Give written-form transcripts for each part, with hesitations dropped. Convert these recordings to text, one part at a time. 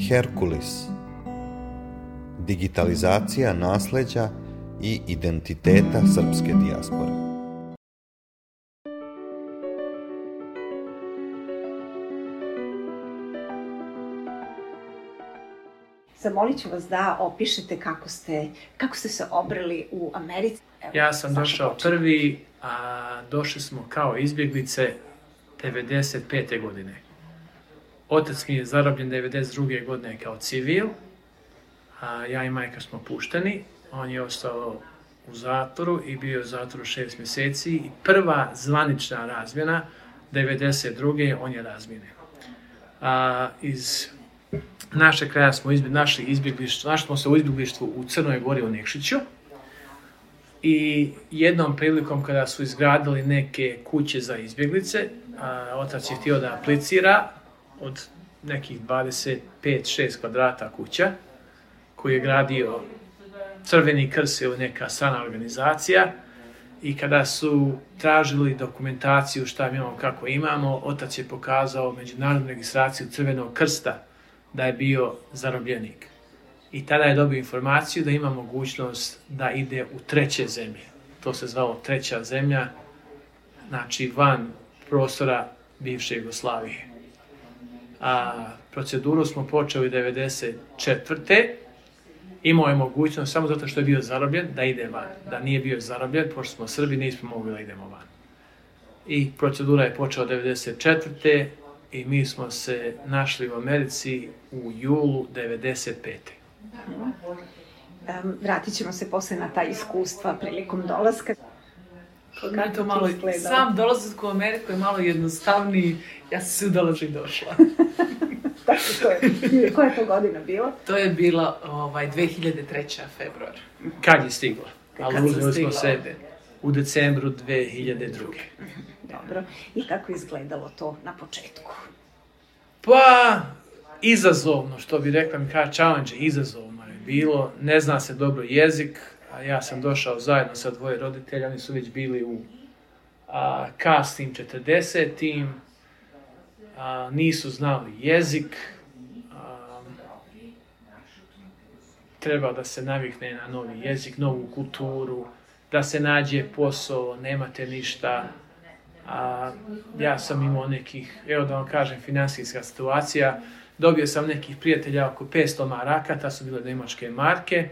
Herkulis. Digitalizacija nasleđa i identiteta srpske dijaspore. Zamolit ću vas da opišete kako ste se obreli u Americi. Ja sam došao prvi, a došli smo kao izbjeglice 95. godine. Otac mi je zarobljen 92. godine kao civil, a ja i majka smo pušteni. On je ostao u zatvoru i bio u zatvoru 6 mjeseci. I prva zvanična razmjena, 92. on je razmjenjen. Iz našeg kraja smo našli smo se u izbjeglištvu u Crnoj Gori u Nekšiću. I jednom prilikom kada su izgradili neke kuće za izbjeglice, otac je htio da aplicira od nekih 25-6 kvadrata kuća koju je gradio Crveni krst ili neka strana organizacija. I kada su tražili dokumentaciju šta mi imamo, kako imamo, otac je pokazao međunarodnu registraciju Crvenog krsta da je bio zarobljenik. I tada je dobio informaciju da ima mogućnost da ide u treće zemlje. To se zvalo treća zemlja, znači van prostora bivše Jugoslavije. Proceduru smo počeli 94. Imao je mogućnost, samo zato što je bio zarobljen, da ide van. Da nije bio zarobljen, pošto smo Srbi, nismo mogli da idemo van. I procedura je počela 94. I mi smo se našli u Americi u julu 95. Vratit ćemo se posle na ta iskustva prilikom dolaska. To malo, sam dolazak u Ameriku je malo jednostavniji, ja sam se udala i došla. Koja je to godina bila? To je bila 2003. februar. Kad je stigla? Ali uzeli smo se u decembru 2002. Dobro. I kako je izgledalo to na početku? Pa, izazovno, što bi rekla mi kao challenge, izazovno je bilo. Ne zna se dobro jezik, a ja sam došao zajedno sa dvoje roditelja, oni su već bili u kasnim 40-im, nisu znali jezik, treba da se navikne na novi jezik, novu kulturu, da se nađe posao, nemate ništa. Ja sam imao nekih, evo da vam kažem, finansijska situacija. Dobio sam nekih prijatelja oko 500 maraka, ta su bile njemačke marke.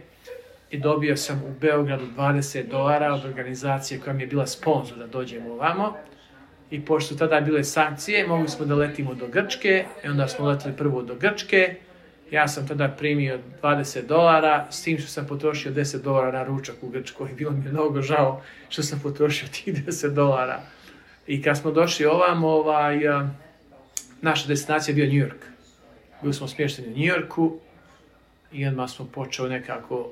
I dobio sam u Beogradu $20 od organizacije koja mi je bila sponzor da dođemo ovamo. I pošto su tada bile sankcije, mogli smo da letimo do Grčke. I onda smo letili prvo do Grčke. Ja sam tada primio $20, s tim što sam potrošio $10 na ručak u Grčkoj. Bilo mi je mnogo žao što sam potrošio tih $10. I kad smo došli ovamo, naša destinacija je bio New York. Bili smo smješteni u New Yorku i odmah smo počeli nekako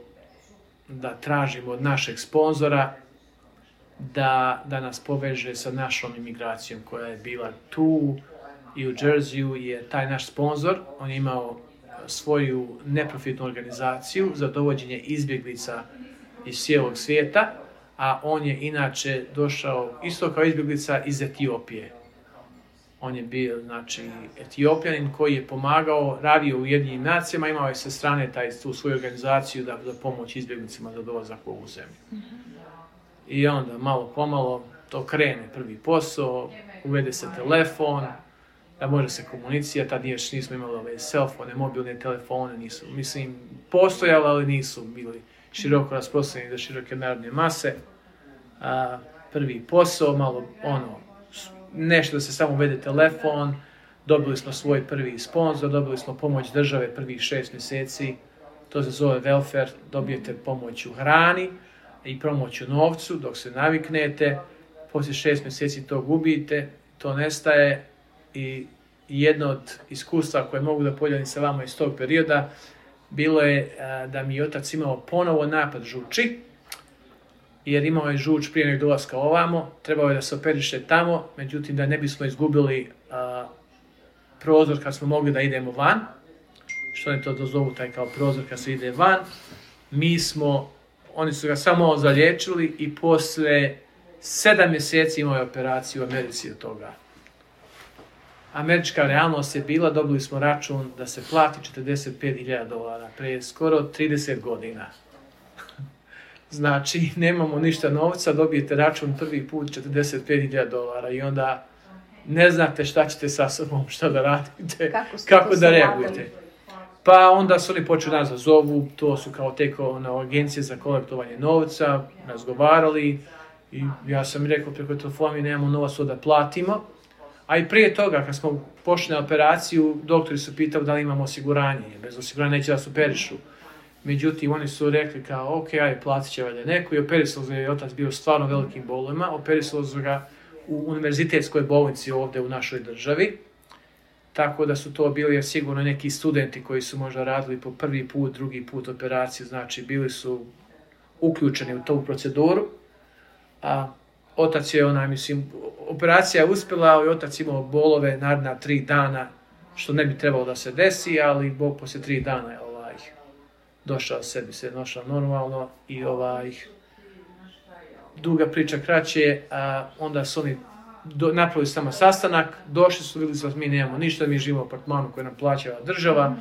da tražimo od našeg sponzora da nas poveže sa našom imigracijom koja je bila tu i u Jerseyu, jer taj naš sponzor, on je imao svoju neprofitnu organizaciju za dovođenje izbjeglica iz cijelog svijeta, a on je inače došao isto kao izbjeglica iz Etiopije. On je bio, znači, Etiopljanin koji je pomagao, radio u Ujedinjenim nacijama, imao je sa strane tu svoju organizaciju da pomoći izbjeglicima za dolazak u ovu zemlju. I onda malo pomalo to krene, prvi posao, uvede se telefon, da može se komunicirati, tad još nismo imali ove selfone, mobilne telefone, nisu, mislim, postojali, ali nisu bili široko rasprostranjeni za široke narodne mase. Prvi posao, malo nešto da se samo uvede telefon, dobili smo svoj prvi sponzor, dobili smo pomoć države prvih 6 mjeseci, to se zove welfare, dobijete pomoć u hrani i pomoć u novcu dok se naviknete, poslije 6 mjeseci to gubite, to nestaje i jedno od iskustva koje mogu da podijelim sa vama iz tog perioda bilo je da mi je otac imao ponovo napad žuči, jer imao je žuč prije nego dolaska ovamo, trebao je da se operiše tamo, međutim da ne bismo izgubili prozor kad smo mogli da idemo van, što oni to dozovu taj kao prozor kad se ide van, oni su ga samo zaliječili i posle 7 mjeseci imao je operaciju u Americi od toga. američka realnost je bila, dobili smo račun da se plati $45,000 pre skoro 30 godina. Znači, nemamo ništa novca, dobijete račun prvi put $45,000 i onda ne znate šta ćete sa sobom, šta da radite, kako da reagujete. Pa onda su oni počeli nas da zovu, to su kao agencije za kolektovanje novca, razgovarali i ja sam rekao preko telefona mi nemamo novac da platimo. A i prije toga, kad smo pošli na operaciju, doktori su pitali da li imamo osiguranje, bez osiguranja neće da se operišu. Međutim, oni su rekli kao, ok, ajde, platit će valjda neko i operisalo ga je otac bio stvarno velikim bolovima, operisalo ga u univerzitetskoj bolnici ovdje u našoj državi. Tako da su to bili sigurno neki studenti koji su možda radili po prvi put, drugi put operaciju, znači bili su uključeni u tu proceduru. A otac je, operacija je uspjela, ali otac imao bolove naredna 3 dana, što ne bi trebalo da se desi, ali Bog poslije 3 dana je došao sebi, se našao normalno i duga priča kraće, onda su oni napravili samo sastanak, došli su, vidjeli su da mi nemamo ništa, mi živimo u apartmanu koji nam plaća država,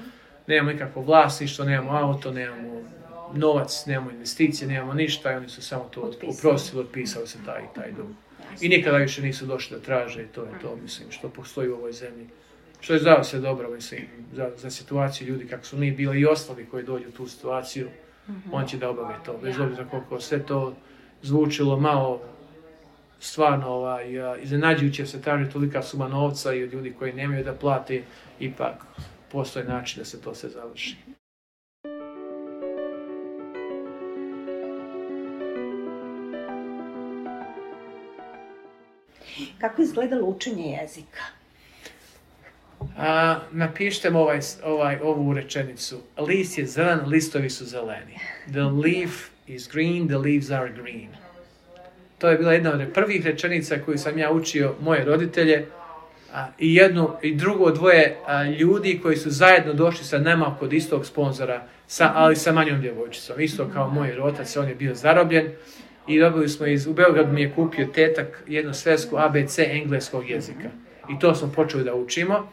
nemamo nikakvo vlasništvo, nemamo auto, nemamo novac, nemamo investicije, nemamo ništa i oni su samo to oprostili, otpisali se taj dug. I nikada više nisu došli da traže i to je to, mislim, što postoji u ovoj zemlji. Što je za sve dobro, mislim, za situaciju ljudi kako su mi bili i ostali koji dođu u tu situaciju, on će da obave to. Bez obzira koliko sve to zvučilo malo stvarno iznenađujuće se traži tolika suma novca i od ljudi koji nemaju da plate, ipak postoji način da se to sve završi. Kako je izgledalo učenje jezika? Napišite ovu rečenicu. List je zelen, listovi su zeleni. The leaf is green, the leaves are green. To je bila jedna od prvih rečenica koju sam ja učio moje roditelje i drugo dvoje ljudi koji su zajedno došli sa nama kod istog sponzora, ali sa manjom djevojčicom. Isto kao moj otac, on je bio zarobljen i dobili smo u Beogradu mi je kupio tetak jednu svesku ABC engleskog jezika. I to smo počeli da učimo.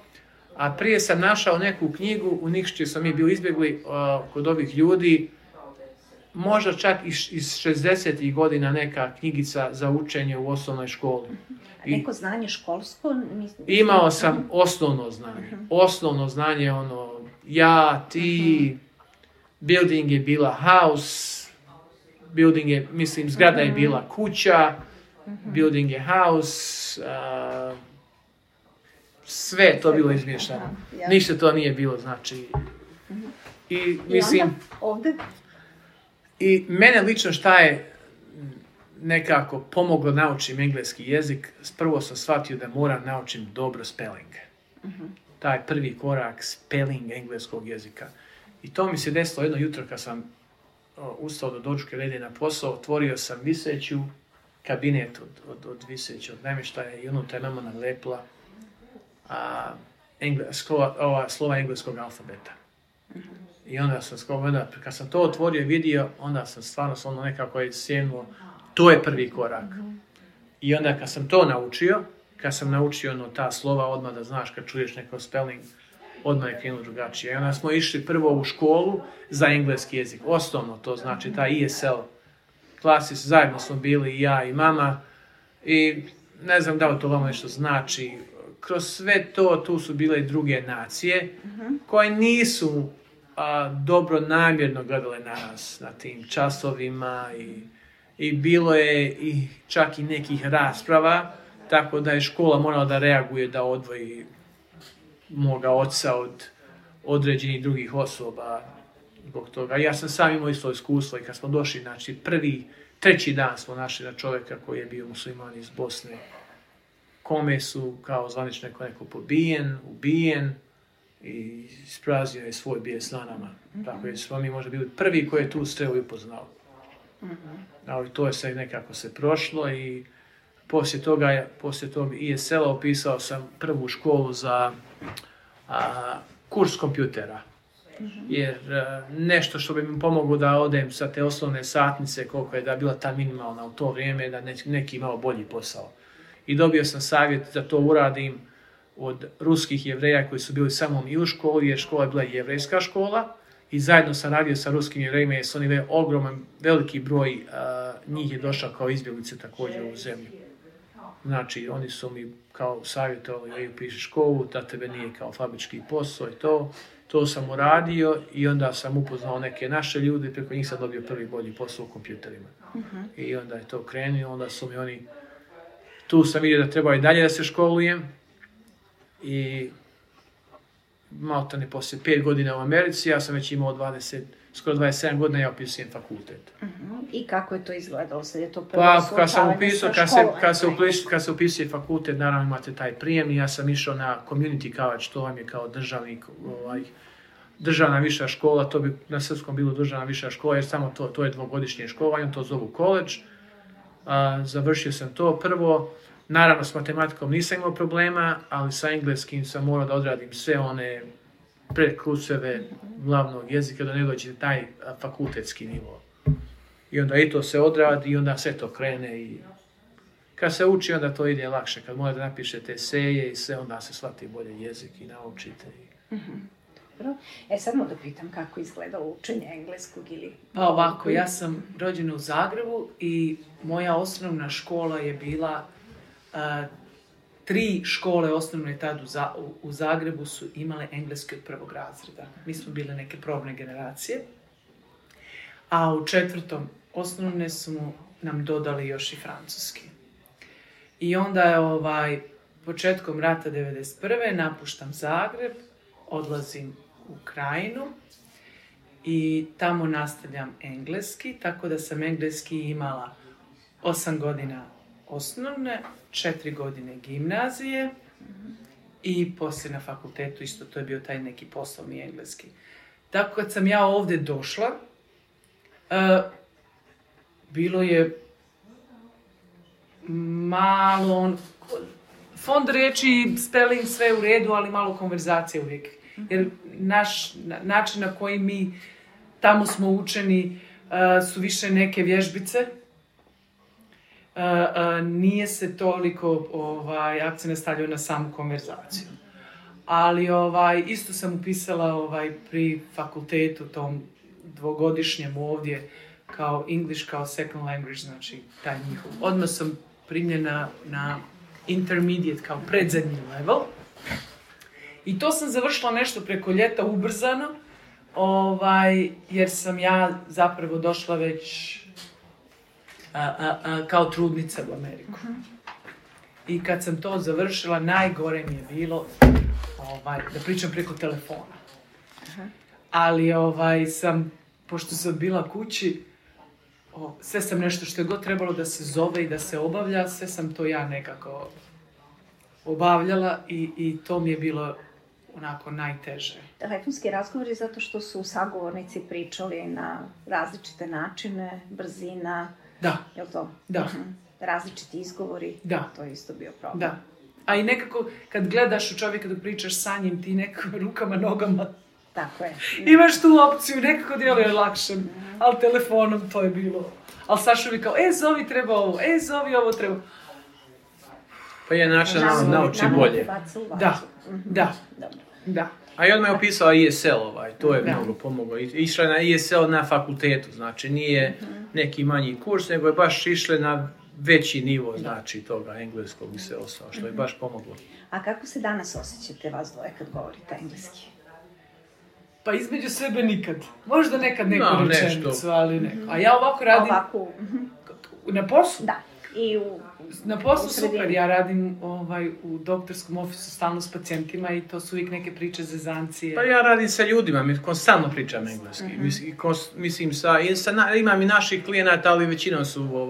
A prije sam našao neku knjigu, u Nikšiću smo mi bili izbjegli kod ovih ljudi, možda čak iz 60. godina neka knjigica za učenje u osnovnoj školi. Neko znanje školsko? Imao sam osnovno znanje. Osnovno znanje, ja, ti, building je bila house, building je, mislim, zgrada je bila kuća, building je house, sve to bilo izmješano. Ništa to nije bilo, znači. I mislim, i mene lično šta je nekako pomoglo naučim engleski jezik, prvo sam shvatio da moram naučim dobro spelling. Taj prvi korak, spelling engleskog jezika. I to mi se desilo jedno jutro kad sam ustao do dočke rede na posao, otvorio sam viseću kabinet od viseću, od namještaja i unutra je mama nalepila slova engleskog alfabeta. I onda sam kad sam to otvorio i vidio, onda sam stvarno nekako je sjenuo, to je prvi korak. I onda kad sam to naučio, kad sam naučio ta slova, odmah da znaš kad čuješ neko spelling, odmah je krenuo drugačije. I onda smo išli prvo u školu za engleski jezik, osnovno to znači ta ESL klasi, zajedno smo bili i ja i mama i ne znam da li to vama nešto znači. Kroz sve to, tu su bile i druge nacije koje nisu dobro namjerno gledale na nas, na tim časovima i bilo je i čak i nekih rasprava, tako da je škola morala da reaguje da odvoji moga oca od određenih drugih osoba zbog toga. Ja sam sam imao isto iskustvo i kad smo došli, znači treći dan smo našli na čovjeka koji je bio musliman iz Bosne, kome su kao zvanično neko ubijen i ispraznio je svoj bijes na nama. Tako je smo mi možda bili prvi koji je tu strelu i upoznao. Ali to je sve nekako se prošlo i poslije tog ESL-a upisao sam prvu školu za kurs kompjutera. Jer nešto što bi mi pomoglo da odem sa te osnovne satnice, koliko je da bila ta minimalna u to vrijeme, da neki imao bolji posao. I dobio sam savjet da to uradim od ruskih Jevreja koji su bili samo i u školi, jer škola je bila jevrejska škola i zajedno sam radio sa ruskim Jevrejima jer su oni ogroman, veliki broj njih je došao kao izbjeglice također u zemlju. Znači, oni su mi kao savjetovali, upiši školu, da tebe nije kao fabrički posao i to. To sam uradio i onda sam upoznao neke naše ljude, preko njih sam dobio prvi bolji posao u kompjuterima. I onda je to krenuo, onda su mi oni... Tu sam vidio da treba i dalje da se školujem i malo ne poslije 5 godina u Americi, ja sam već imao skoro 27 godina, ja upisujem fakultet. I kako je to izgledalo? Sad je to prvo suočavanje sa školom? Kad se upisuje fakultet, naravno imate taj prijem i ja sam išao na community college, to vam je kao državna viša škola, to bi na srpskom bilo državna viša škola, jer samo to je dvogodišnje školovanje, to zovu college. Završio sam to prvo. Naravno, s matematikom nisam imao problema, ali sa engleskim sam morao da odradim sve one predkurseve glavnog jezika, da ne dođe taj fakultetski nivo. I onda i to se odradi i onda sve to krene i kad se uči, onda to ide lakše. Kad morate da napišete eseje i sve, onda se shvati bolje jezik i naučite. Dobro. Sad da pitam kako izgleda učenje engleskog ili... Pa ovako, ja sam rođena u Zagrebu i moja osnovna škola je bila 3 škole osnovne tad u Zagrebu su imale engleski od prvog razreda. Mi smo bile neke probne generacije. A u 4. osnovne su nam dodali još i francuski. I onda je početkom rata 1991. napuštam Zagreb, odlazim u Krajinu i tamo nastavljam engleski, tako da sam engleski imala 8 godina osnovne, 4 godine gimnazije i poslije na fakultetu isto to je bio taj neki poslovni engleski. Tako kad sam ja ovdje došla, bilo je malo fond riječi, spelling sve u redu, ali malo konverzacije uvijek. Jer način na koji mi tamo smo učeni su više neke vježbice. Nije se toliko akcent stavljao na samu konverzaciju. Ali isto sam upisala pri fakultetu tom dvogodišnjem ovdje kao English kao second language, znači taj njihov. Odmah sam primljena na intermediate kao predzadnji level. I to sam završila nešto preko ljeta ubrzano, jer sam ja zapravo došla već kao trudnica u Ameriku. I kad sam to završila, najgore mi je bilo da pričam preko telefona. Ali pošto sam bila kući, sve sam nešto što je god trebalo da se zove i da se obavlja, sve sam to ja nekako obavljala i to mi je bilo onako najteže. Telefonski razgovori zato što su sagovornici pričali na različite načine, brzina, je li to? Da. Različiti izgovori, to je isto bio problem. Da. A i nekako kad gledaš u čovjeka dok pričaš sa njim, ti nekako rukama, nogama, tako je. Imaš tu opciju, nekako djeluje lakše, ali telefonom to je bilo. Ali Saša bi kao, zovi treba ovo, zovi ovo treba. Pa je način nauči bolje. Da. A i odmah je upisala ESL, to je mnogo pomoglo. Išla je na ESL na fakultetu, znači nije neki manji kurs, nego je baš išla na veći nivo, znači toga engleskog i sve ostalo, što je baš pomoglo. A kako se danas osjećate vas dvoje kad govorite engleski? Pa između sebe nikad. Možda nekad neku rečenicu, ali neko. A ja ovako radim... Na poslu? Da. Na poslu super, ja radim u doktorskom ofisu stalno s pacijentima i to su uvijek neke priče zezancije. Pa ja radim sa ljudima, konstantno pričam engleski. Mislim, imam i naših klijenata, ali većinom su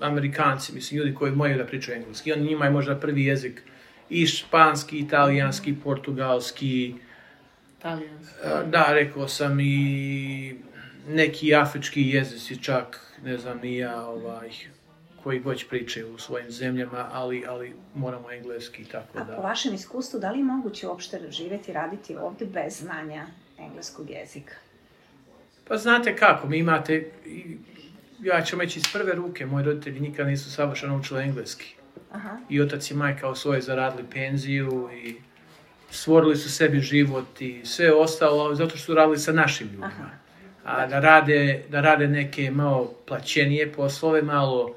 Amerikanci, mislim, ljudi koji moraju da pričaju engleski. Oni njima je možda prvi jezik i španski, italijanski, portugalski. Da, rekao sam i neki afrički jezici čak, ne znam ni ja, koji god pričaju u svojim zemljama, ali moramo engleski, tako da. A po vašem iskustvu, da li je moguće uopšte živjeti i raditi ovdje bez znanja engleskog jezika? Pa znate kako, mi imate, ja ću reći iz prve ruke, moji roditelji nikad nisu savršeno učili engleski. I otac i majka osvoje zaradili penziju i stvorili su sebi život i sve ostalo zato što su radili sa našim ljudima. A da rade neke malo plaćenije poslove, malo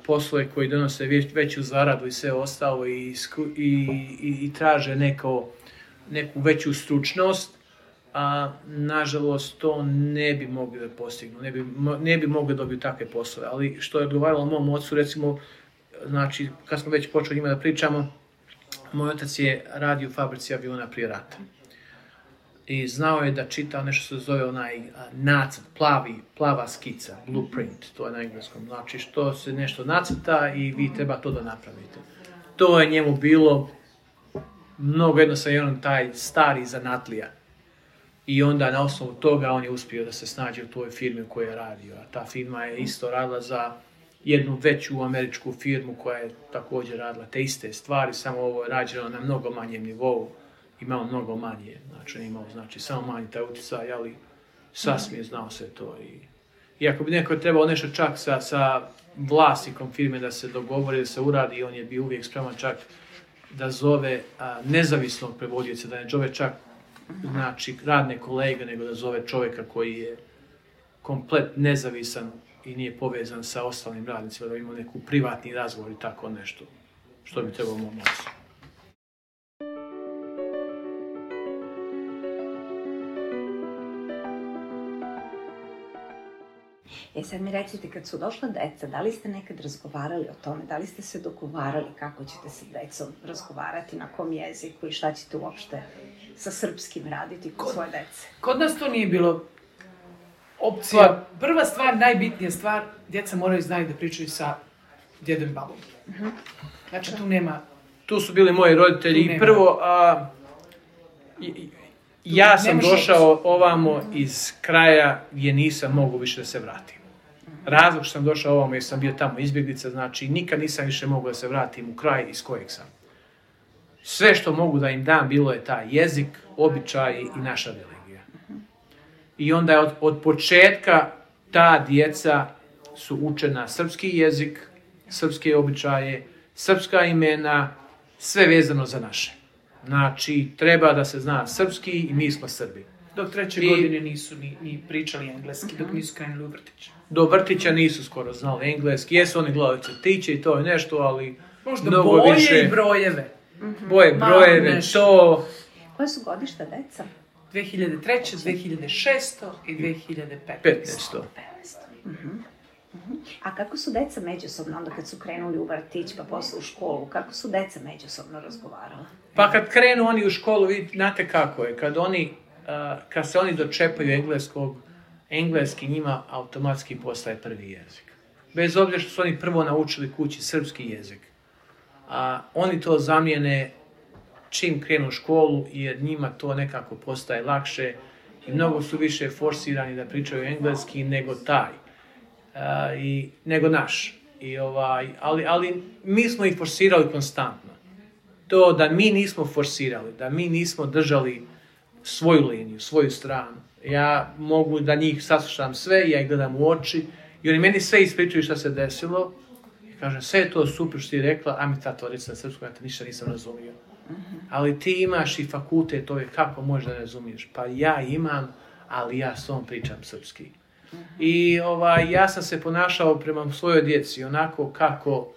poslove koji donose veću zaradu i sve ostalo i traže neku veću stručnost, a nažalost to ne bi mogli da postignu, ne bi mogli da dobiju takve poslove. Ali što je odgovaralo mom ocu, recimo, znači, kad smo već počeli njima da pričamo, moj otac je radio u fabrici aviona prije rata. I znao je da čita nešto što se zove onaj nacrt, plava skica, blueprint, to je na engleskom. Znači što se nešto nacrta i vi treba to da napravite. To je njemu bilo mnogo jednostavno taj stari zanatlija. I onda na osnovu toga on je uspio da se snađe u toj firmi u kojoj je radio. A ta firma je isto radila za jednu veću američku firmu koja je također radila te iste stvari, samo ovo je rađeno na mnogo manjem nivou. Imao mnogo manje, znači samo manji taj utjecaj, ali sasvim je znao sve to. I ako bi neko trebao nešto čak sa vlasnikom firme da se dogovori, da se uradi, on je bio uvijek spreman čak da zove nezavisnog prevodioca, da ne zove čak radne kolege, nego da zove čovjeka koji je komplet nezavisan i nije povezan sa ostalim radnicima, da ima neku privatni razgovor i tako nešto, što bi trebalo mom ocu. Sad mi recite, kad su došla deca, da li ste nekad razgovarali o tome, da li ste se dogovarali kako ćete sa decom razgovarati, na kom jeziku i šta ćete uopšte sa srpskim raditi kod svoje dece? Kod nas to nije bilo opcija. Prva stvar, najbitnija stvar, djeca moraju znati da pričaju sa djedom i babom. Znači tu nema... Tu su bili moji roditelji i prvo... Ja sam došao ovamo iz kraja gdje nisam mogao više da se vratim. Razlog što sam došao ovamo jer sam bio tamo izbjeglica, znači nikad nisam više mogao da se vratim u kraj iz kojeg sam. Sve što mogu da im dam bilo je taj jezik, običaj i naša religija. I onda je od početka ta djeca su učena srpski jezik, srpske običaje, srpska imena, sve vezano za naše. Znači, treba da se zna srpski i mi smo Srbi. Dok 3. godine nisu ni pričali engleski, dok nisu krenuli u vrtić. Do vrtića nisu skoro znali engleski. Jesu oni gledali crtiće i to je nešto, ali možda mnogo boje više... i brojeve. Boje, brojeve, to... Koje su godišta deca? 2003, 2600 i 2015. A kako su deca međusobno, onda kad su krenuli u vrtić pa posle u školu, kako su deca međusobno razgovarala? Pa kad krenu oni u školu, znate kako je, kad se oni dočepaju engleski njima automatski postaje prvi jezik. Bez obzira što su oni prvo naučili kući srpski jezik. Oni to zamijene čim krenu u školu jer njima to nekako postaje lakše i mnogo su više forsirani da pričaju engleski nego nego naš. Ali mi smo ih forsirali konstantno. To da mi nismo forsirali, da mi nismo držali svoju liniju, svoju stranu. Ja mogu da njih saslušam sve, ja ih gledam u oči i oni meni sve ispričaju šta se desilo. I kažem, sve je to super što ti rekla, a mi tato reći na srpskom, ja te ništa nisam razumio. Ali ti imaš i fakultet, kako možeš da ne razumiješ? Pa ja imam, ali ja s tom pričam srpski. I ja sam se ponašao prema svojoj djeci onako kako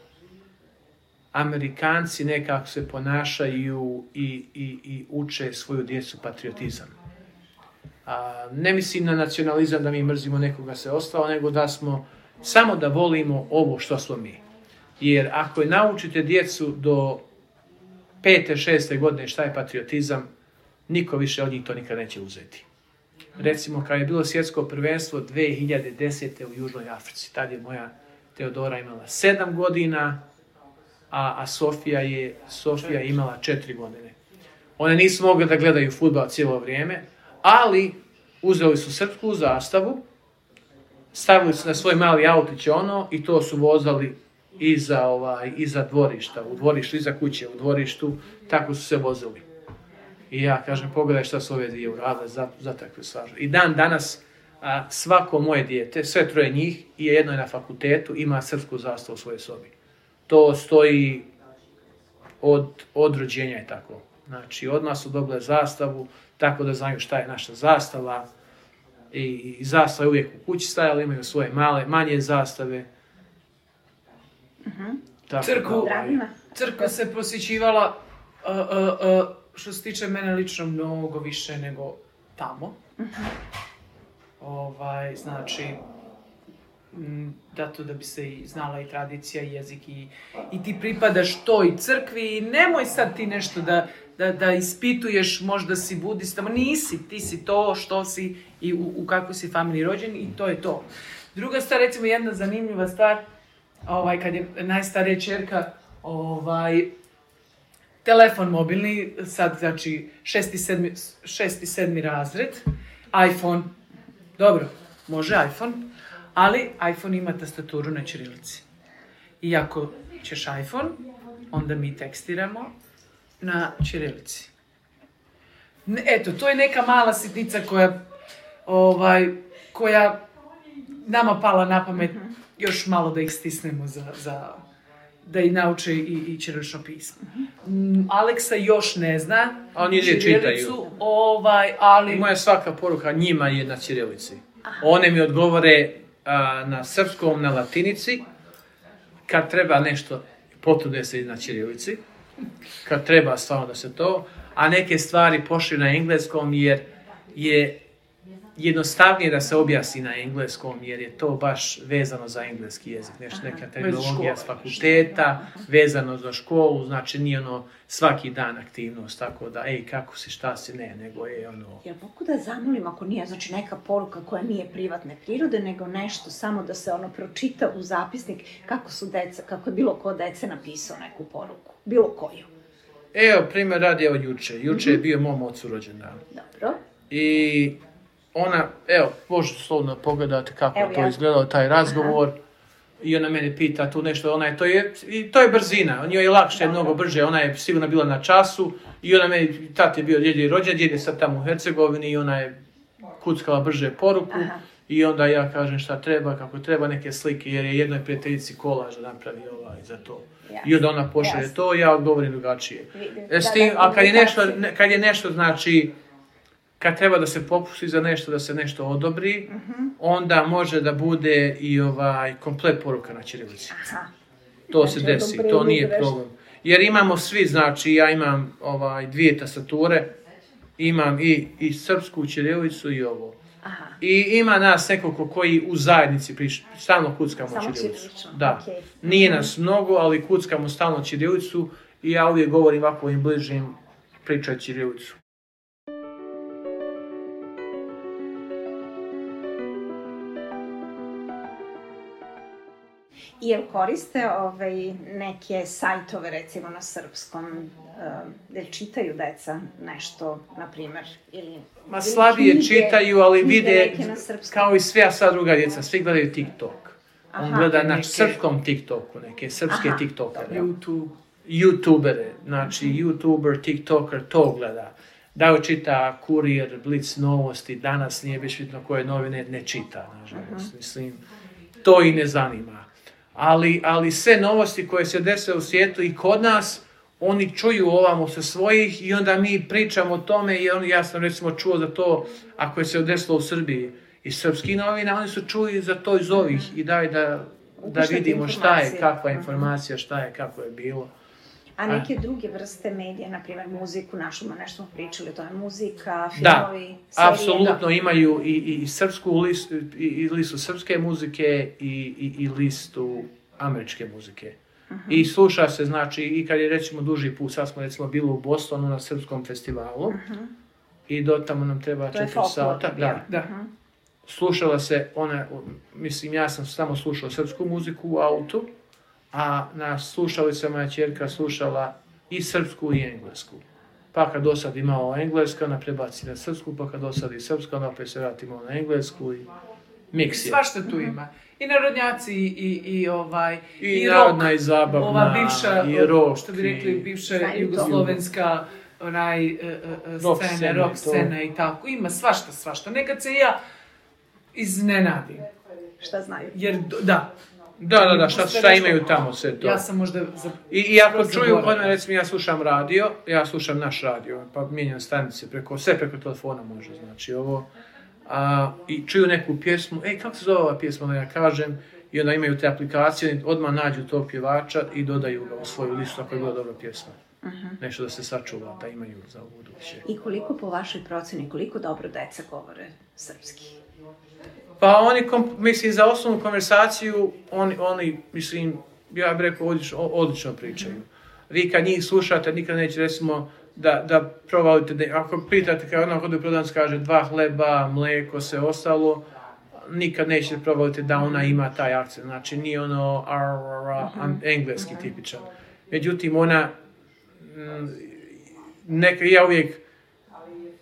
Amerikanci nekako se ponašaju i uče svoju djecu patriotizam. Ne mislim na nacionalizam da mi mrzimo nekoga se ostalo, nego da smo samo da volimo ovo što smo mi. Jer ako je naučite djecu do 5. 6. godine šta je patriotizam, niko više od njih to nikad neće uzeti. Recimo, kad je bilo svjetsko prvenstvo 2010. u Južnoj Africi, tad je moja Teodora imala 7 godina, a Sofija je imala 4 godine. One nisu mogle da gledaju fudbal cijelo vrijeme, ali uzeli su srpsku zastavu, stavili su na svoj mali autić i to su vozali iza dvorišta, u dvorištu, iza kuće, u dvorištu, tako su se vozili. I ja kažem, pogledaj šta su ove dvije uradile za takve stvari. I dan danas svako moje dijete, sve 3 njih, i jedno je na fakultetu, ima srpsku zastavu u svojoj sobi. to stoji od rođenja i tako. Znači, odmah su dobile zastavu, tako da znaju šta je naša zastava. I zastava je uvijek u kući stajala, imaju svoje manje zastave. Crkva se posjećivala, što se tiče mene lično, mnogo više nego tamo. Znači, zato da bi se znala i tradicija, i jezik, i ti pripadaš toj crkvi i nemoj sad ti nešto da ispituješ, možda si budista, ma nisi, ti si to što si i u kakvoj si familiji rođen i to je to. Druga stvar, recimo jedna zanimljiva stvar, kad je najstarija ćerka, telefon mobilni, sad znači 6. i 7. razred, iPhone, dobro, može iPhone, ali iPhone ima tastaturu na ćirilici. I ako ćeš iPhone, onda mi tekstiramo na ćirilici. Eto, to je neka mala sitnica koja nama pala na pamet, još malo da ih stisnemo da i nauče i ćirilično pismo. Aleksa još ne zna ćirilicu, ali... Moja svaka poruka njima je na ćirilici. One mi odgovore na srpskom, na latinici, kad treba nešto, potrude se na ćirilici, kad treba stvarno da se to, a neke stvari pošli na engleskom jer je jednostavnije da se objasni na engleskom, jer je to baš vezano za engleski jezik. Neka terminologija s fakulteta, vezano za školu, znači nije svaki dan aktivnost, tako da, kako si, šta si, nego je Jel mogu da zamolim, ako nije, znači neka poruka koja nije privatne prirode, nego nešto samo da se pročita u zapisnik kako je bilo ko dece napisao neku poruku, bilo koju. Evo, primjer radi juče. Juče je bio mom ocu rođendan. Dobro. I ona, možete slovno pogledati kako je to izgledalo, taj razgovor. I ona mene pita tu nešto, to je brzina, njoj je lakše, mnogo brže, ona je sigurno bila na času i ona meni, tat je bio djed rođen, djed je sad tamo u Hercegovini i ona je kuckala brže poruku i onda ja kažem šta treba, kako treba neke slike, jer je jednoj prijateljici kolaž da napravi za to. I onda ona pošalje to, ja odgovorim drugačije. A kad je nešto, znači, kad treba da se popusti za nešto, da se nešto odobri, onda može da bude i komplet poruka na ćirilici. To se desi, to nije problem. Jer imamo svi, znači, ja imam 2 tastature, imam i srpsku ćirilicu i ovo. I ima nas nekoliko koji u zajednici stalno kuckamo ćirilicu. Da. Nije nas mnogo, ali kuckamo stalno ćirilicu i ja uvijek govorim ovako im bližim pričaj ćirilicu. I jel koriste neke sajtove, recimo na srpskom, da čitaju deca nešto, na primjer, ili... Ma slabije čitaju, ali vide, kao i sve sad druga djeca, svi gledaju TikTok. On gleda na srpskom TikToku, neke srpske TikTokere. YouTubere, znači YouTuber, TikToker, to gleda. Da čita Kurir, Blic novosti, danas nije baš bitno koje novine, ne čita, nažalost. Mislim, to i ne zanima. Ali sve novosti koje se dese u svijetu i kod nas, oni čuju ovamo sa svojih i onda mi pričamo o tome i ja sam recimo čuo za to, ako je se desilo u Srbiji iz srpskih novina, oni su čuli za to iz ovih i daj da vidimo šta je, kakva je informacija, šta je, kako je bilo. A neke druge vrste medija, na primjer muziku, nešto smo pričali, to je muzika, filmovi, serije. Da, apsolutno imaju i srpsku listu, i listu srpske muzike i listu američke muzike. I sluša se, znači, i kad je recimo duži put, sad smo recimo bili u Bostonu na srpskom festivalu i do tamo nam treba 4 sata. Da. Slušala se, ja sam samo slušao srpsku muziku u autu, a na slušalicama je ćerka slušala i srpsku i englesku. Pa kad dosad imao engleska, ona prebaci na srpsku, pa kad dosad i srpska, ona opet se vratimo na englesku i miks je. Svašta tu ima. I narodnjaci i narodna i zabavna, ova bivša, i rock, što bi rekli, bivša jugoslovenska rock scena i tako. Ima svašta. Nekad se ja iznenadim. Šta znaju? Jer, da. Da, šta imaju tamo sve to. Ja sam možda... I ako čuju, recimo ja slušam radio, ja slušam naš radio, pa mijenjam stanice, sve preko telefona može, znači ovo. I čuju neku pjesmu, kako se zove ova pjesma, ja kažem, i onda imaju te aplikacije, odmah nađu tog pjevača i dodaju ga u svoju listu ako je bila dobra pjesma. Nešto da se sačuva, da imaju za buduće. I koliko po vašoj proceni, koliko dobro deca govore srpski? Pa oni, mislim, za osnovnu konversaciju, oni mislim, ja bih rekao, odlično pričaju. Vi kad njih slušate, nikad neće, recimo, da provalite, ako pitate, kao ono kod u prodavnici kaže 2 hleba, mlijeko, sve ostalo, nikad nećete provalite da ona ima taj akcent. Znači, nije ono engleski tipičan. Međutim, ona, ja uvijek,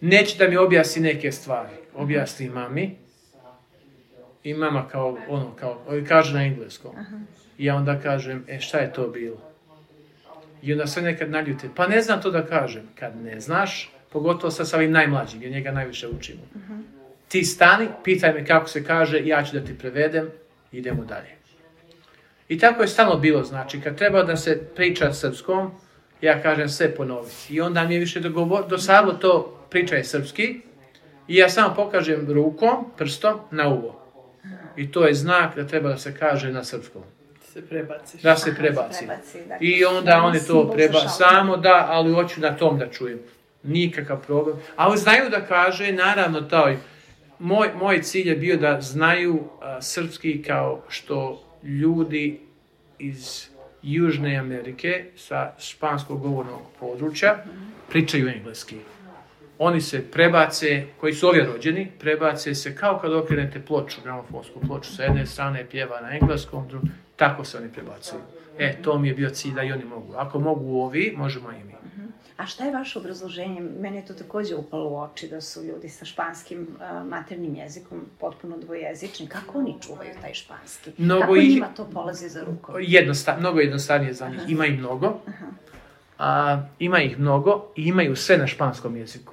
neće da mi objasni neke stvari. Objasni mami. I mama kaže na engleskom. I ja onda kažem, šta je to bilo? I onda sve nekad naljute, pa ne znam to da kažem. Kad ne znaš, pogotovo sa ovim najmlađim, jer njega najviše učimo. Ti stani, pitaj me kako se kaže, ja ću da ti prevedem, idemo dalje. I tako je stalno bilo, znači, kad treba da se priča srpskom, ja kažem sve ponoviti. I onda mi je više dosadilo to pričaj srpski, i ja samo pokažem rukom, prstom, na uvo. I to je znak da treba da se kaže na srpskom. Da se prebaci. I onda oni to samo da, ali hoću na tom da čujem. Nikakav problem. Ali znaju da kaže, naravno, moj cilj je bio da znaju srpski kao što ljudi iz Južne Amerike sa španskog govornog područja pričaju engleski. Oni se prebace, koji su ovdje rođeni, prebace se kao kad okrenete ploču, gramofonsku ploču, sa jedne strane pjeva na engleskom, tako se oni prebacuju. To mi je bio cilj da i oni mogu. Ako mogu ovi, možemo i mi. A šta je vaše obrazloženje? Meni je to također upalo u oči da su ljudi sa španskim maternjim jezikom potpuno dvojezični. Kako oni čuvaju taj španski? Kako njima to polazi za rukom? Mnogo jednostavnije za njih. Ima ih mnogo. Ima ih mnogo i imaju sve na španskom jeziku.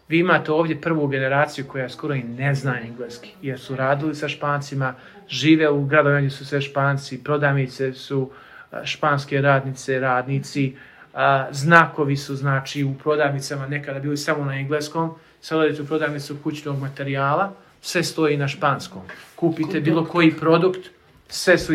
Vi imate ovdje prvu generaciju koja skoro i ne zna engleski, jer su radili sa Špancima, žive u gradovima gdje su sve Španci, prodavnice su španske radnice, radnici, znakovi su, znači, u prodavnicama nekada bili samo na engleskom, sad odete u prodavnicu kućnog materijala, sve stoji na španskom. Kupite bilo koji produkt, sve su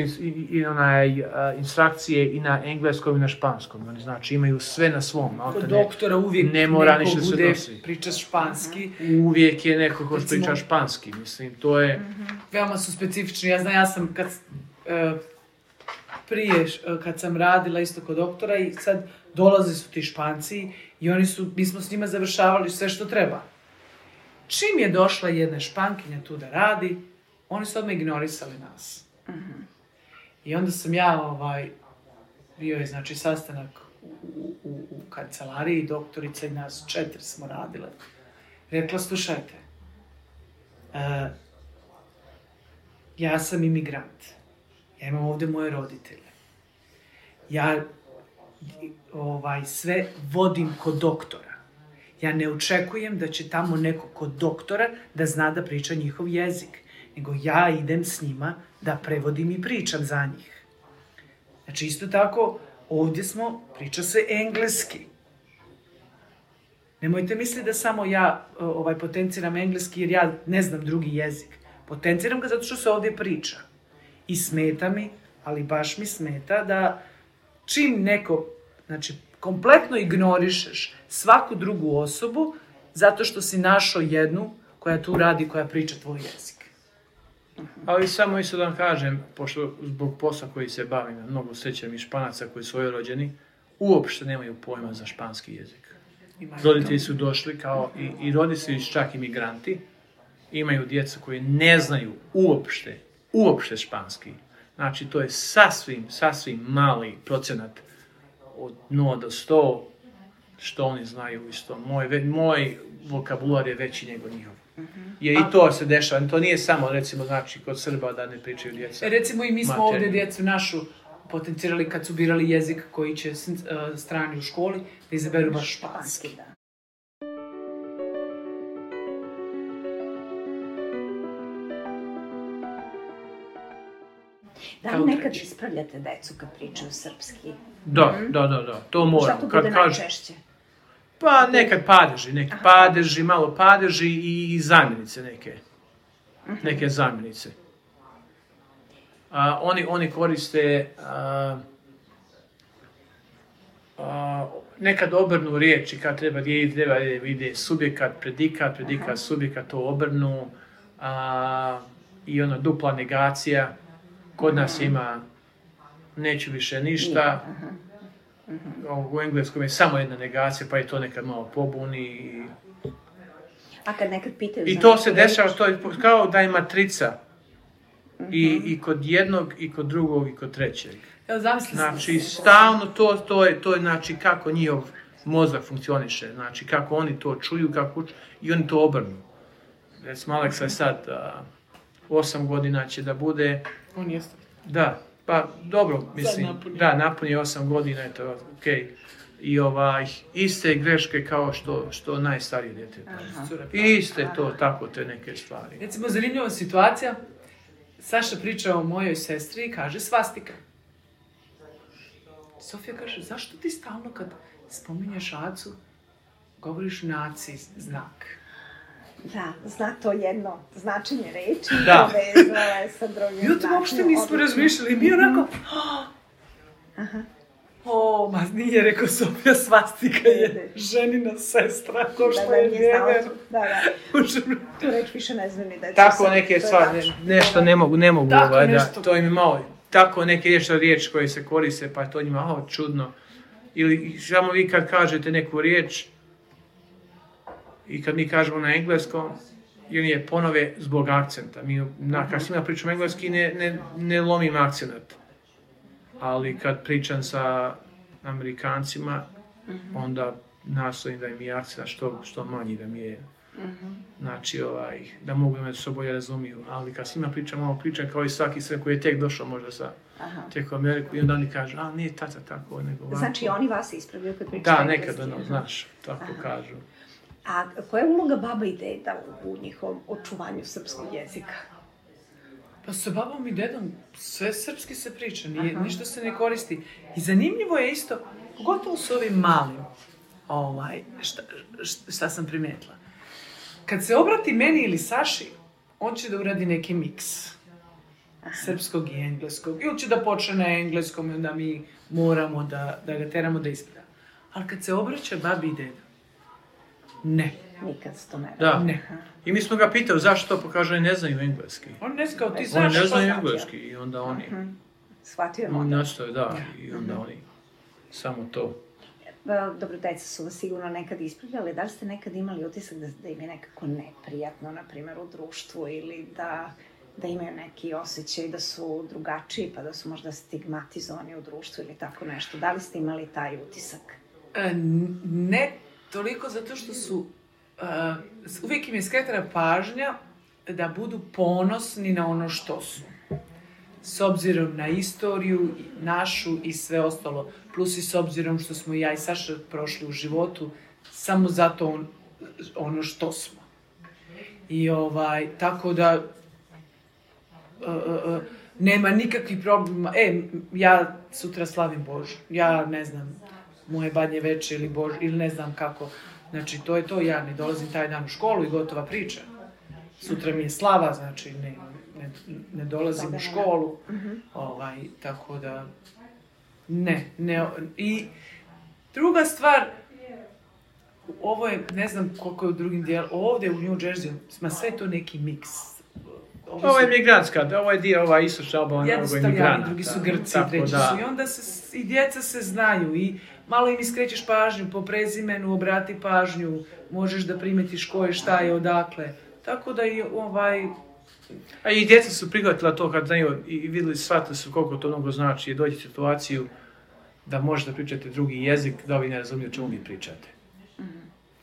instrukcije i na engleskom i na španskom. Oni znači imaju sve na svom. Kod doktora uvijek neko bude priča španski. Uvijek je neko ko priča španski. Mislim, to je... Veoma su specifični. Ja sam kad sam radila isto kod doktora i sad dolaze su ti Španci i mi smo s njima završavali sve što treba. Čim je došla jedna Špankinja tu da radi, oni su odmah ignorisali nas. I onda sam bio je, znači, sastanak u kancelariji, doktorica i nas 4 smo radile. Rekla, slušajte, ja sam imigrant, ja imam ovdje moje roditelje, ja sve vodim kod doktora. Ja ne očekujem da će tamo neko kod doktora da zna da priča njihov jezik, nego ja idem s njima da prevodim i pričam za njih. Znači, isto tako, ovdje priča se engleski. Nemojte misliti da samo ja potenciram engleski jer ja ne znam drugi jezik. Potenciram ga zato što se ovdje priča. I smeta mi, ali baš mi smeta da čim neko, znači, kompletno ignorišeš svaku drugu osobu zato što si našao jednu koja tu radi, koja priča tvoj jezik. Ali samo isto da vam kažem, pošto zbog posla koji se bavim, mnogo srećem i Španaca koji su rođeni, uopšte nemaju pojma za španski jezik. Roditelji su došli kao i roditelji čak imigranti, imaju djeca koji ne znaju uopšte španski. Znači, to je sasvim mali procenat od 0 do 100 što oni znaju isto. Moj vokabular je veći nego njihov. Jer i to se dešava. To nije samo, recimo, znači, kod Srba da ne pričaju djeca. Recimo i mi smo ovdje djecu našu potencirali kad su birali jezik koji će strani u školi, da izaberu baš španski. Da li nekad ispravljate decu kad pričaju srpski? Da, to moram. Šta to bude najčešće? Pa nekad padeži, malo padeži i zamjenice neke zamjenice. Oni koriste nekad obrnu riječi kad treba vide subjekat, predikat, subjekat, to obrnu i ona dupla negacija. Kod nas ima neću više ništa. U engleskom je samo jedna negacija, pa je to nekad malo pobuni. A kad nekad pitaju... I to se dešava, to je kao da je matrica. I kod jednog, i kod drugog, i kod trećeg. Evo, zamisli znači, stalno to je znači kako njihov mozak funkcioniše, znači kako oni to čuju, i oni to obrnu. Recimo, Aleksa je sad 8 godina će da bude... On jeste. Da, pa dobro, mislim, napuni 8 godina, je to okej. I iste greške kao što najstarije dijete. Iste to, tako te neke stvari. Recimo, zanimljiva situacija, Saša priča o mojoj sestri i kaže svastika. Sofija kaže, zašto ti stalno kad spominješ Acu, govoriš naci znak? Da, zna to jedno značenje reči, povezala je sa drugim značenjem. I o tom uopšte nismo razmišljali, mi onako, ma nije, rekao Sofija, svastika je ženina sestra, ko što je vjever. Tu reč više ne znam ni da je tako neke stvari, nešto ne mogu, to im je malo, tako neke riječi koje se koriste, pa je to njima čudno. Ili samo vi kad kažete neku riječ, i kad mi kažemo na engleskom, i oni je ponove zbog akcenta. Kad s njima pričam engleski, ne lomim akcenat. Ali kad pričam sa Amerikancima, onda nastojim da im je akcent što manji da mi je. Znači, da mogu među soboj razumiju. Ali kad s njima pričam kao i svaki sve koji je tek došao možda tek u Ameriku, i onda oni kažu, nije tata tako, nego ovako. Znači, oni vas ispravljaju kad pričaju engleski? Da, nekad, znaš, tako kažu. A koja je uloga baba i deda u njihovom očuvanju srpskog jezika? Pa sa babom i dedom sve srpski se priča, ništa se ne koristi. I zanimljivo je isto, pogotovo s ovim malim, šta sam primijetila. Kad se obrati meni ili Saši, on će da uradi neki miks srpskog i engleskog. Ili će da počne na engleskom i onda mi moramo da ga teramo da ispravlja. Ali kad se obraća babi i deda, ne. Nikad se to ne radi. Ne. I mi smo ga pitali zašto to pokaže, oni ne znaju engleski. On ne znao, ti znaš što znači. Oni ne znaju engleski i onda oni... Shvatio model. Nastoje, i onda oni samo to. Dobro, deca su vas sigurno nekad ispravljali. Da li ste nekad imali utisak da im je nekako neprijatno, na primjer, u društvu ili da imaju neki osjećaj da su drugačiji, pa da su možda stigmatizovani u društvu ili tako nešto? Da li ste imali taj utisak? Ne toliko zato što su... uvijek im je skretana pažnja da budu ponosni na ono što su. S obzirom na istoriju našu i sve ostalo. Plus i s obzirom što smo ja i Saša prošli u životu, samo zato ono što smo. I tako da nema nikakvih problema. Ja sutra slavim Božu. Ja ne znam, moje Badnje veče ili Božu, ili ne znam kako. Znači, to je to, ja ne dolazim taj dan u školu i gotova priča. Sutra mi je slava, znači ne dolazim u školu. Tako da, ne. I druga stvar, ovo je, ne znam koliko je u drugim dijelu, ovdje u New Jersey, sve to neki miks. Ovo je migrantska, ovo je dio istočna obala, jedni su Italijani, drugi su Grci, treći su. I onda i djeca se znaju i malo im iskrećeš pažnju po prezimenu, obrati pažnju, možeš da primetiš ko je, šta je, odakle. Tako da i A i djeca su prihvatila to kad znaju i vidjeli, shvatili su koliko to mnogo znači, dođe situaciju da možete pričati drugi jezik, da ovi ne razumiju čemu vi pričate.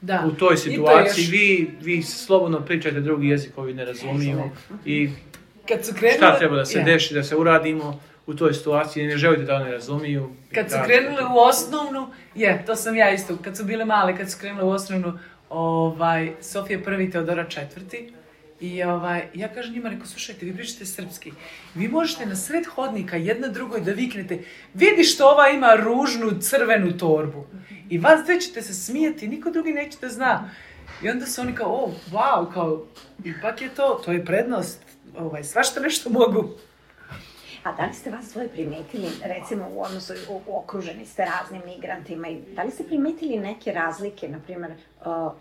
Da. U toj situaciji vi slobodno pričate drugi jezik, ovi ne razumiju i šta treba da se deši, da se uradimo u toj situaciji, ne želite da oni razumiju. Kad su krenule u osnovnu, to sam ja isto, kad su bile male, kad su krenule u osnovnu, Sofija prvi, Teodora četvrti, I ja kažem njima, rekao, slušajte, vi pričate srpski. Vi možete na sred hodnika jedna drugoj da viknete, vidi što ova ima ružnu crvenu torbu. I vas dve ćete se smijeti, niko drugi neće da zna. I onda su oni kao, wow, kao, ipak je to je prednost, svašta nešto mogu. A da li ste vas dvoje primetili, recimo u odnosu, okruženi ste raznim migrantima, i da li ste primetili neke razlike, na primjer,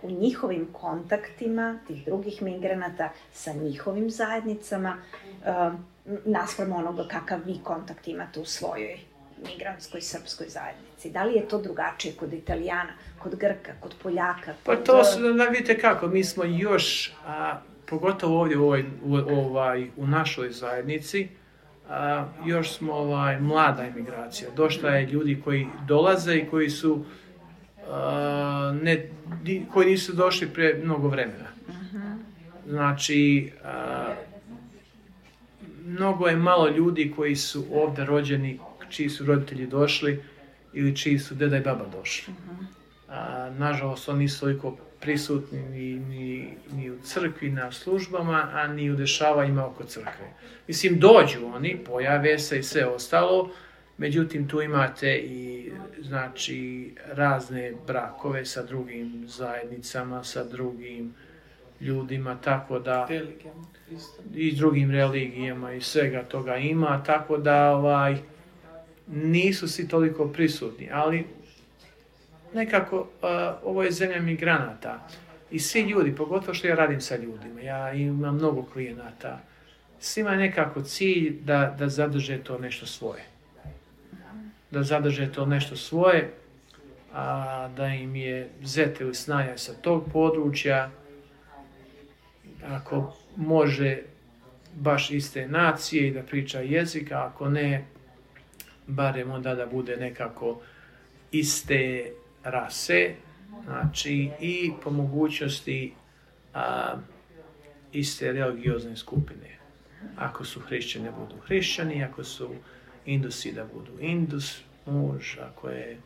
u njihovim kontaktima tih drugih migranata sa njihovim zajednicama, naspram onoga kakav vi kontakt imate u svojoj migrantskoj srpskoj zajednici? Da li je to drugačije kod Italijana, kod Grka, kod Poljaka? Pa to su, vidite kako, mi smo još, pogotovo ovdje u našoj zajednici, još smo mlada emigracija. Došla je ljudi koji dolaze i koji su koji nisu došli pre mnogo vremena. Znači, mnogo je malo ljudi koji su ovdje rođeni, čiji su roditelji došli ili čiji su deda i baba došli. Nažalost, oni nisu toliko prisutni ni u crkvi, na službama, a ni u dešavanjima oko crkve. Mislim, dođu oni, pojave se i sve ostalo, međutim, tu imate i, znači, razne brakove sa drugim zajednicama, sa drugim ljudima, tako da... I drugim religijama i svega toga ima, tako da nisu svi toliko prisutni, ali nekako ovo je zemlja migranata i svi ljudi, pogotovo što ja radim sa ljudima, ja imam mnogo klijenata, svima je nekako cilj da zadrže to nešto svoje. Da zadrže to nešto svoje, da im je zet ili snaja sa tog područja, ako može baš iste nacije i da priča jezika, ako ne, barem onda da bude nekako iste rase, znači i po mogućnosti iste religiozne skupine. Ako su hrišćani, da budu hrišćani, ako su Indusi, da budu Indus, muž, ako je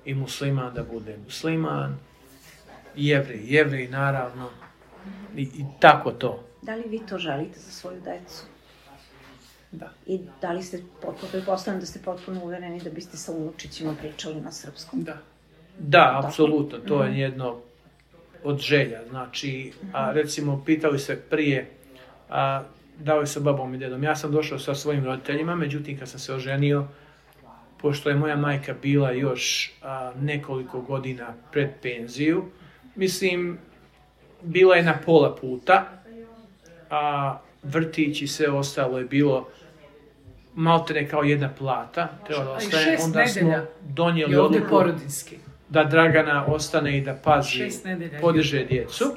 i musliman, da bude musliman, Jevrej, naravno, i tako to. Da li vi to želite za svoju decu? Da. I da li ste pretpostavljam da ste potpuno uvereni da biste sa unučićima pričali na srpskom? Da. Da, apsolutno, to je jedno od želja. Znači, recimo, pitali se prije, da li sa babom i dedom. Ja sam došao sa svojim roditeljima, međutim, kad sam se oženio, pošto je moja majka bila još nekoliko godina pred penziju, mislim, bila je na pola puta, a vrtić i sve ostalo je bilo maltene kao jedna plata. Onda smo donijeli odluku da Dragana ostane i da pazi, podiže djecu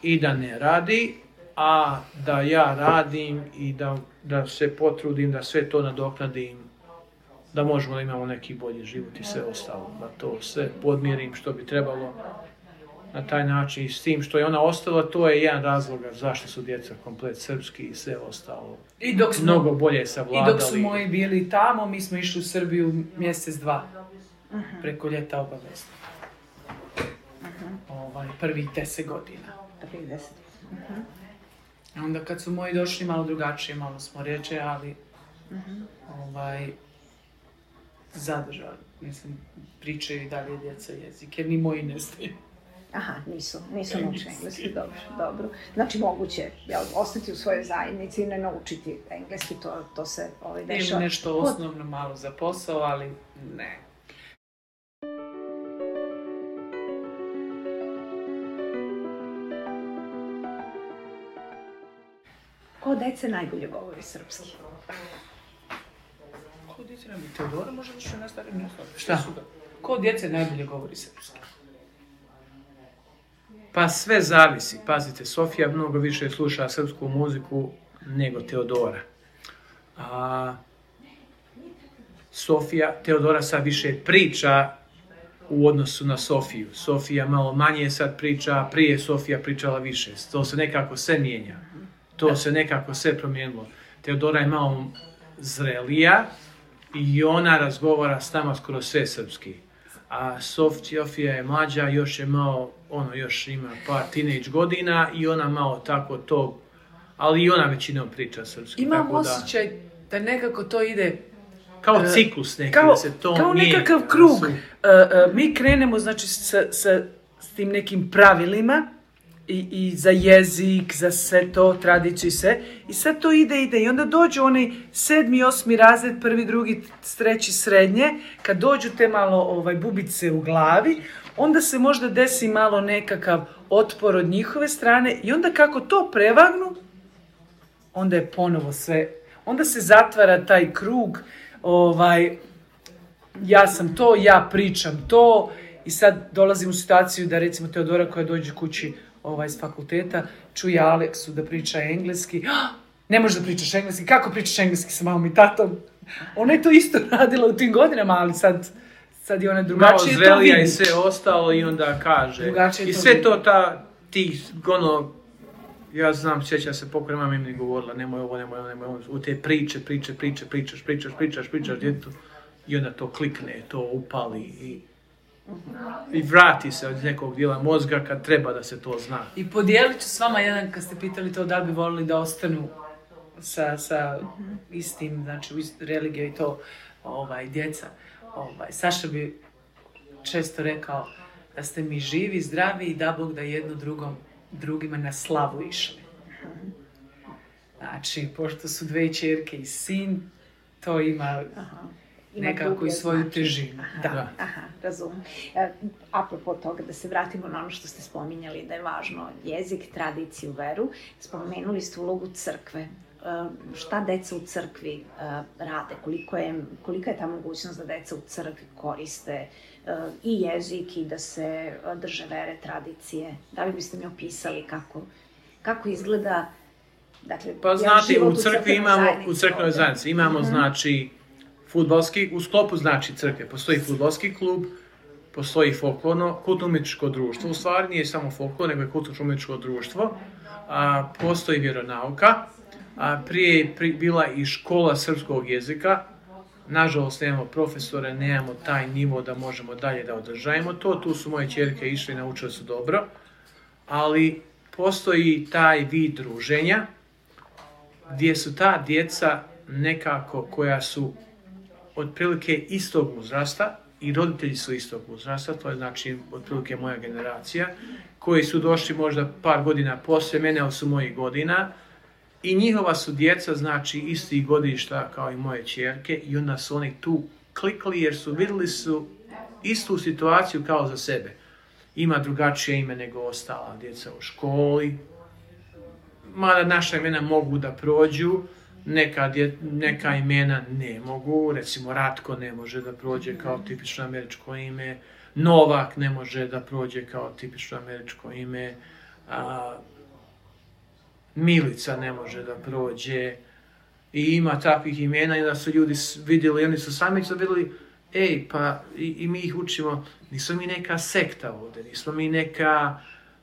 i da ne radi, a da ja radim i da se potrudim da sve to nadoknadim, da možemo da imamo neki bolji život i sve ostalo, da to sve podmirim što bi trebalo na taj način i s tim što je ona ostala, to je jedan razlog zašto su djeca komplet srpski i sve ostalo. I dok smo, mnogo bolje savladali. I dok su moji bili tamo, mi smo išli u Srbiju mjesec, dva. Preko ljeta obavezno. Prvih 10 godina. Prvih 10. Onda kad su moji došli malo drugačije, malo smo reče, ali zadržali. Mislim, pričaju i dalje djeca jezik, jer ni moji ne znaju. Aha, nisu naučili engleski, dobro. Znači, moguće ostati u svojoj zajednici i ne naučiti engleski, to se dešava. Ili nešto osnovno malo za posao, ali ne. Ko od dece najbolje govori srpski? Ko od djece najbolje? Teodora može da što nastavim na slovo. Šta? Ko od djece najbolje govori srpski? Pa sve zavisi. Pazite, Sofija mnogo više sluša srpsku muziku nego Teodora. Teodora sad više priča u odnosu na Sofiju. Sofija malo manje sad priča, prije Sofija pričala više. To se nekako sve mijenja. To se nekako sve promijenilo. Teodora je malo zrelija i ona razgovara s nama skoro sve srpski. a Sofija je mlađa, još je malo, još ima par teenage godina i ona malo tako to, ali i ona većinom priča srpski. Imam osjećaj da nekako to ide kao ciklus neki, da se to kao nekakav krug. Mi krenemo, znači, s tim nekim pravilima i za jezik, za sve to, tradiciju i sve. I sad to ide i onda dođu onaj 7., 8. razred, 1., 2., 3. srednje, kad dođu te malo bubice u glavi, onda se možda desi malo nekakav otpor od njihove strane i onda kako to prevagnu, onda je ponovo sve, onda se zatvara taj krug, ja sam to, ja pričam to i sad dolazim u situaciju da recimo Teodora koja dođe kući iz fakulteta, čuje Aleksu da priča engleski, ne možeš da pričaš engleski, kako pričaš engleski sa mamom i tatom? Ona je to isto radila u tim godinama, ali sad je ona drugačije to vidi. Malo zrelija i sve ostalo i onda kaže. I sve to ja znam, sjećam se pokoj mama mi govorila, nemoj ovo, u te pričaš djetu i onda to klikne, to upali i vrati se od nekog dijela mozga kad treba da se to zna. I podijelit ću s vama jedan, kad ste pitali to da li bi volili da ostanu sa istim, znači religijom i to djeca. Saša bi često rekao da ste mi živi, zdravi i da Bog da jedno drugima na slavu išli. Znači, pošto su 2 ćerke i sin, to ima nekako i svoju težinu. Da. Aha, razumem. Apropo toga, da se vratimo na ono što ste spominjali, da je važno jezik, tradiciju, veru. Spomenuli ste ulogu crkve. Šta deca u crkvi rade? Kolika je ta mogućnost da deca u crkvi koriste i jezik i da se drže vere, tradicije? Da li biste mi opisali kako izgleda, dakle, pa znate, u crkvenoj zajednici imamo, znači, fudbalski, u sklopu znači crkve, postoji fudbalski klub, postoji folklorno, kulturno-umjetničko društvo, u stvari nije samo folklor, nego je kulturno-umjetničko društvo, postoji vjeronauka, prije je bila i škola srpskog jezika, nažalost nemamo profesore, nemamo taj nivo da možemo dalje da održajemo to, tu su moje ćerke išle i naučile su dobro, ali postoji taj vid druženja gdje su ta djeca nekako koja su otprilike istog uzrasta i roditelji su istog uzrasta, to je znači otprilike moja generacija, koji su došli možda par godina poslije mene, ali su mojih godina, i njihova su djeca, znači istih godišta kao i moje ćerke, i onda su oni tu klikli jer su vidjeli su istu situaciju kao za sebe. Ima drugačije ime nego ostala djeca u školi, mada naša imena mogu da prođu, neka imena ne mogu, recimo Ratko ne može da prođe kao tipično američko ime, Novak ne može da prođe kao tipično američko ime, Milica ne može da prođe, i ima takvih imena i da su ljudi vidjeli, oni su sami vidjeli, pa i mi ih učimo, nismo mi neka sekta ovdje,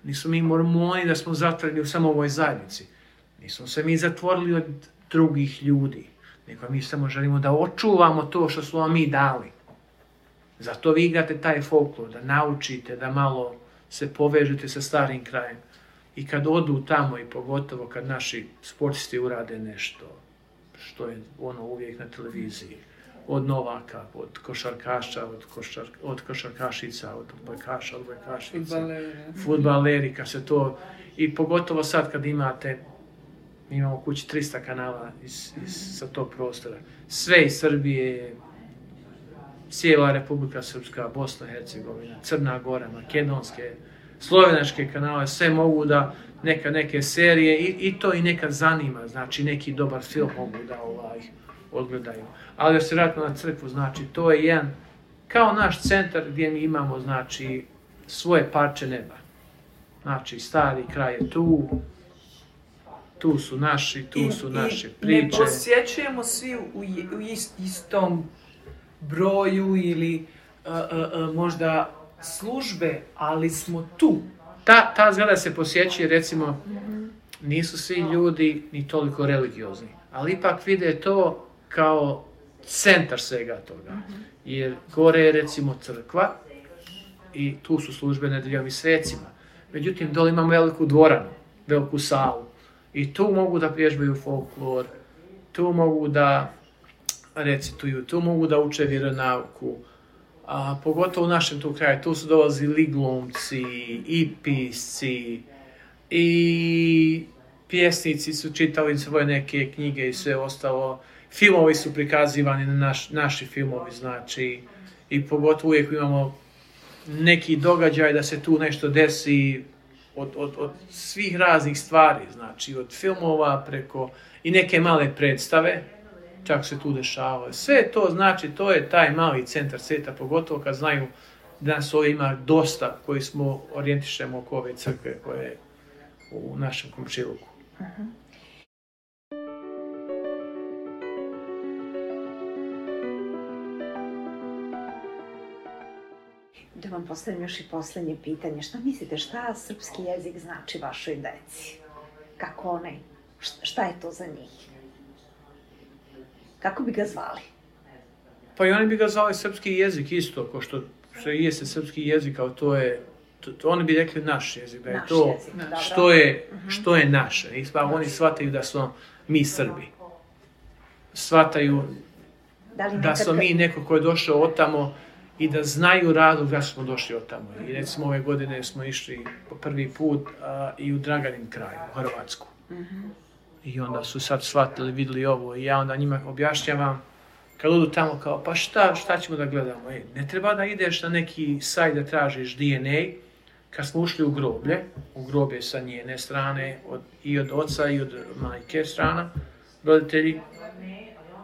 nismo mi mormoni da smo zatvoreni u samo ovoj zajednici, nismo se mi zatvorili od drugih ljudi, nego mi samo želimo da očuvamo to što smo vam mi dali. Zato vi igrate taj folklor, da naučite, da malo se povežete sa starim krajem. I kad odu tamo, i pogotovo kad naši sportisti urade nešto, što je uvijek na televiziji, od Novaka, od košarkaša, od košarkašica, od odbojkašica, fudbaleri, kad se to, i pogotovo sad kad imamo kući 300 kanala sa tog prostora, sve iz Srbije, cijela Republika Srpska, Bosna i Hercegovina, Crna Gora, makedonske, slovenačke kanale, sve mogu da neke serije i to i nekad zanima, znači neki dobar film mogu da odgledaju. Ali da se vratimo na crkvu, znači to je jedan, kao naš centar gdje mi imamo, znači, svoje parče neba. Znači, stari kraj je tu su naše priče. Ne posjećujemo svi u istom broju ili možda službe, ali smo tu. Ta zgrada se posjećuje, recimo, nisu svi ljudi ni toliko religiozni, ali ipak vide to kao centar svega toga. Jer gore je, recimo, crkva, i tu su službe nedeljom i svecima. Međutim, dole imam veliku dvoranu, veliku salu i tu mogu da vježbaju folklor, tu mogu da recituju, tu mogu da uče vjeronauku, a pogotovo u našem tu kraju, tu su dolazili glumci i pisci i pjesnici su čitali svoje neke knjige i sve ostalo. Filmovi su prikazivani na naši filmovi, znači, i pogotovo uvijek imamo neki događaj da se tu nešto desi od svih raznih stvari, znači od filmova preko i neke male predstave, čak se tu dešavalo. Sve to znači, to je taj mali centar svijeta, pogotovo kad znaju da nas ovdje ima dosta koji smo orijentišemo oko ove crkve koje je u našem komšiluku. Da vam postavim još i posljednje pitanje. Šta mislite, šta srpski jezik znači vašoj deci? Kako onaj, šta je to za njih? Kako bi ga zvali? Pa i oni bi ga zvali srpski jezik isto, ko što se jeste srpski jezik, ali to je, oni bi rekli naš jezik, da je to što je naše. Oni shvataju da smo mi Srbi. Shvataju da smo mi neko ko je došao od tamo i da znaju razlog zašto smo došli od tamo. I recimo ove godine smo išli po prvi put i u Draganin kraj, u Hrvatsku. I onda su sad shvatili, vidjeli ovo i ja onda njima objašnjavam kad odu tamo kao pa šta ćemo da gledamo? Ne treba da ideš na neki sajt da tražiš DNA. Kad smo ušli u groblje sa njene strane, i od oca i od majke strana, roditelji.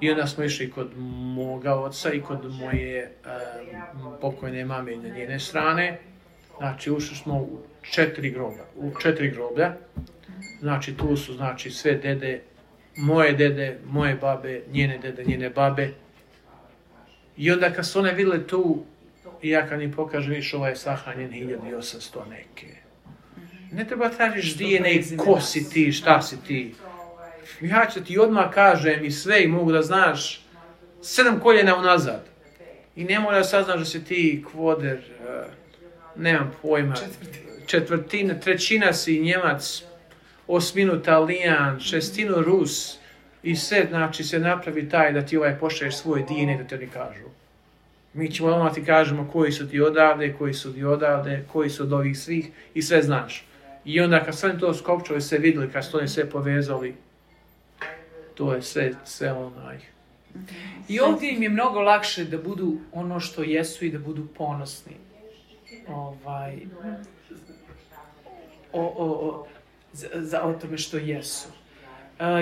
I onda smo išli kod moga oca i kod moje pokojne mame na njene strane. Znači, ušli smo u 4 groblja. Znači, tu su sve dede, moje babe, njene dede, njene babe. I onda kad su one vidjeli tu, i ja kad im pokažem, viš, ovaj je sahranjen 1800 neke. Ne treba tražiš DNA, ko si ti, šta si ti. Ja ću ti odmah kažem i sve i mogu da znaš 7 koljena unazad. I ne mora da saznaš da si ti kvoder, nemam pojma, trećina si Njemac, 8 Talijan, 6 Rus i sve, znači se napravi taj da ti pošalješ svoj DNA da te oni kažu. Mi ćemo odmah ti kažemo koji su ti odavde, koji su od ovih svih i sve znaš. I onda kad sve to skopčali, sve vidjeli, kad su oni sve povezali, to je sve onaj. I ovdje im je mnogo lakše da budu ono što jesu i da budu ponosni. O tome što jesu.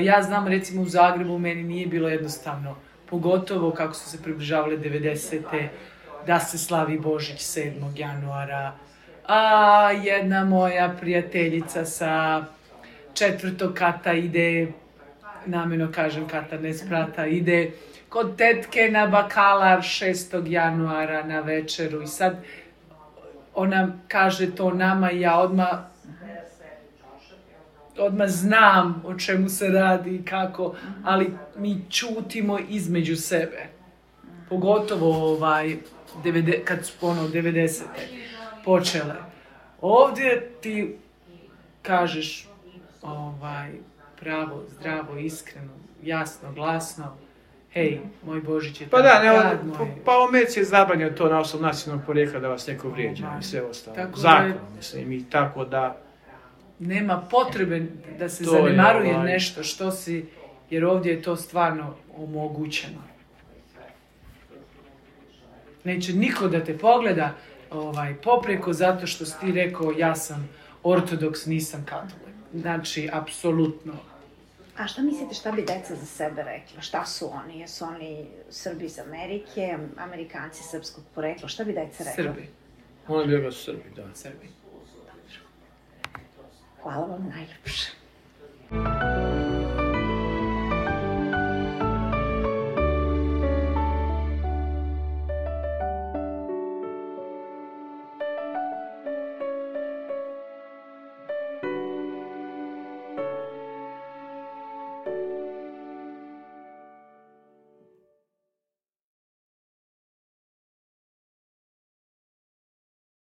Ja znam, recimo u Zagrebu meni nije bilo jednostavno, pogotovo kako su se približavale 90. da se slavi Božić 7. januara. A jedna moja prijateljica sa 4. kata ide, namjerno kažem kata, ne sprata, ide kod tetke na bakalar 6. januara na večeru i sad ona kaže to nama i ja odmah znam o čemu se radi i kako, ali mi čutimo između sebe. Pogotovo kad su 90. počele. Ovdje ti kažeš pravo, zdravo, iskreno, jasno, glasno, hej, moj Božić je pa u Americi je zabranjeno to na osnovu nacionalnog porijekla da vas neko vrijeđa i sve ostalo. Zakonom, mislim, i tako da nema potrebe da se zanemaruje nešto što si, jer ovdje je to stvarno omogućeno. Neće niko da te pogleda popreko zato što si ti rekao ja sam ortodoks, nisam katolik. Znači, apsolutno. A šta mislite, šta bi deca za sebe rekla? Šta su oni? Jesu oni Srbi iz Amerike, Amerikanci srpskog porekla? Šta bi deca rekla? Srbi. Oni bi rekla Srbi, da. Srbi. Hvala vam najljepše.